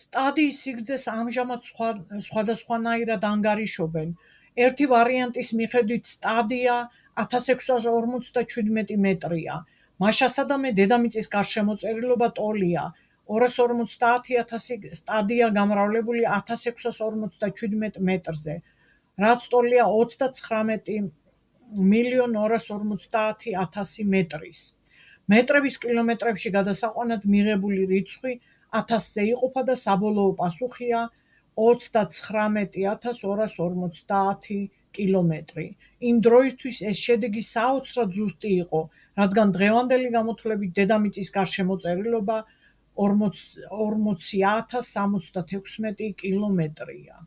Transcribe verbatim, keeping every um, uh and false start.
სტადიის სიგრძეს ამჟამად სხვადასხვანაირად ანგარიშობენ. ერთი ვარიანტის მიხედვით სტადია ათას ექვსას ორმოცდაჩვიდმეტი მეტრია. მაშასადამე დედამიწის გარშემოწერილობა ტოლია ორას ორმოცდაათი ათასი სტადია გამრავლებული ათას ექვსას ორმოცდაჩვიდმეტ მეტრზე, რაც ტოლია ოცდაცხრამეტი მილიონ ორას ორმოცდაათი ათასი მეტრის. მეტრების კილომეტრებში გადასაყვანად მიღებული რიცხვი ათასზე იყოფა და საბოლოო პასუხია ოცდაცხრამეტი ათას ორას ორმოცდაათი კილომეტრი. იმ დროისთვის ეს შედეგი საოცრად ზუსტი იყო, რადგან დღევანდელი გამოთვლებით დედამიწის გარშემოწერილობა ორმოცი ათას სამოცდათექვსმეტი კილომეტრია.